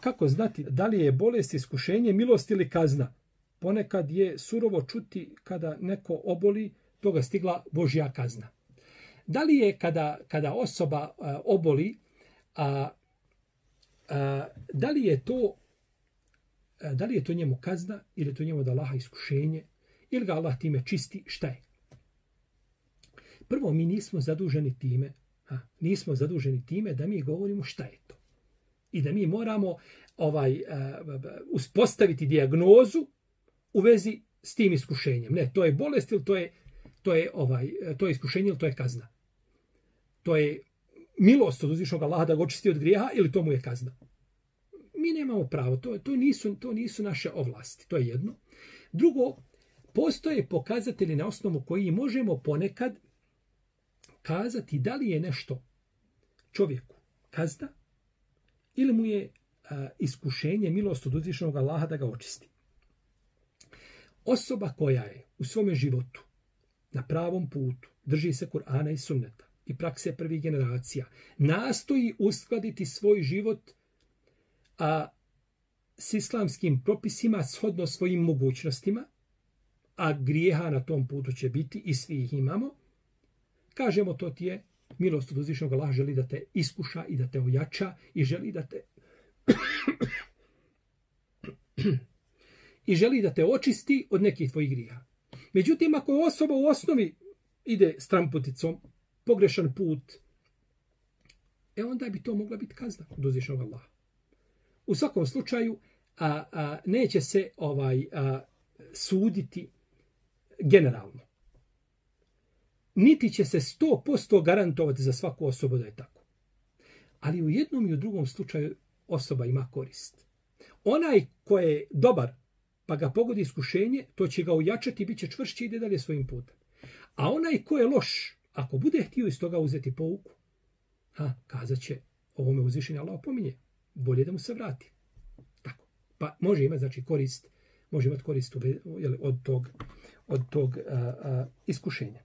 Kako znati da li je bolest, iskušenje, milost ili kazna? Ponekad je surovo čuti kada neko oboli, toga stigla Božja kazna. Da li je kada osoba oboli, da li je to njemu kazna ili je to njemu od Allaha iskušenje ili ga Allah time čisti, šta je? Prvo, mi nismo zaduženi time da mi govorimo šta je to. I da mi moramo uspostaviti dijagnozu u vezi s tim iskušenjem. Ne, to je bolest ili to je iskušenje ili to je kazna. To je milost od uzvišnog Allaha da ga očisti od grijeha ili to mu je kazna. Mi nemamo pravo, to nisu naše ovlasti, to je jedno. Drugo, postoje pokazatelji na osnovu koji možemo ponekad kazati da li je nešto čovjeku kazna ili mu je iskušenje, milost od uzvišenog Allaha da ga očisti. Osoba koja je u svome životu na pravom putu, drži se Kur'ana i sunneta i prakse prvih generacija, nastoji uskladiti svoj život s islamskim propisima shodno svojim mogućnostima, a grijeha na tom putu će biti i svi ih imamo, kažemo to ti je milost od uzvišenog Allaha, želi da te iskuša i da te ojača i želi da te očisti od nekih tvojih grijeha. Međutim, ako osoba u osnovi ide stramputicom, pogrešan put, onda bi to mogla biti kazna od uzvišenog Allaha. U svakom slučaju, neće se suditi generalno. Niti će se 100% garantovati za svaku osobu da je tako. Ali u jednom i u drugom slučaju osoba ima korist. Onaj ko je dobar, pa ga pogodi iskušenje, to će ga ojačati, bit će čvršći i ide dalje svojim putem. A onaj ko je loš, ako bude htio iz toga uzeti pouku, kazat će, ovo me uzvišenje Allah opominje, bolje da mu se vrati. Tako. Pa može imati korist od tog iskušenja.